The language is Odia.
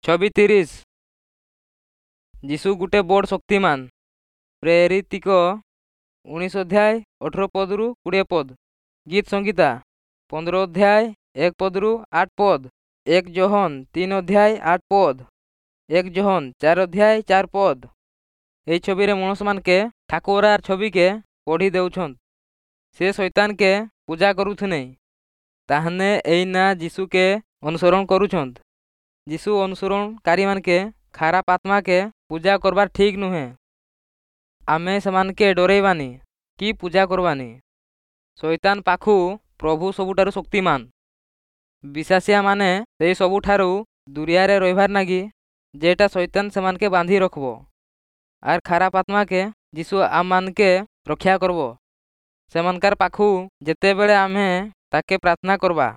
ଛବି 30। ଯୀଶୁ ଗୁଟେ ବଡ଼ ଶକ୍ତିମାନ। ପ୍ରେରିତିକ 19 ଅଧ୍ୟାୟ 18 ପଦରୁ 20 ପଦ, ଗୀତ ସଂଗୀତା 15 ଅଧ୍ୟାୟ 1 ପଦରୁ 8 ପଦ, 1 ଯୋହନ 3 ଅଧ୍ୟାୟ 8 ପଦ, 1 ଯୋହନ 4 ଅଧ୍ୟାୟ 4 ପଦ। ଏଇ ଛବିରେ ମଣିଷମାନକେ ଠାକୁରାର ଛବିକେ ପଢ଼ି ଦେଉଛନ୍। ସେ ଶୈତାନକେ ପୂଜା କରୁଥିନେ, ତାହାନେ ଏଇନା ଯୀଶୁକେ ଅନୁସରଣ କରୁଛନ୍। ଯୀଶୁ ଅନୁସରଣକାରୀମାନକେ ଖାରାପ ଆତ୍ମାକେ ପୂଜା କରବାର ଠିକ୍ ନୁହେଁ। ଆମେ ସେମାନକେ ଡରେଇବାନି କି ପୂଜା କରବାନି। ଶୈତାନ ପାଖୁ ପ୍ରଭୁ ସବୁଠାରୁ ଶକ୍ତିମାନ। ବିଶ୍ୱାସିଆମାନେ ସେଇ ସବୁଠାରୁ ଦୁରିଆରେ ରହିବାର ନାଗି ଯେଟା ଶୈତାନ ସେମାନକେ ବାନ୍ଧି ରଖବ। ଆର୍ ଖାରାପ ଆତ୍ମାକେ ଯୀଶୁ ଆମମାନକେ ରକ୍ଷା କରବ ସେମାନଙ୍କର ପାଖୁ ଯେତେବେଳେ ଆମେ ତାକେ ପ୍ରାର୍ଥନା କରବା।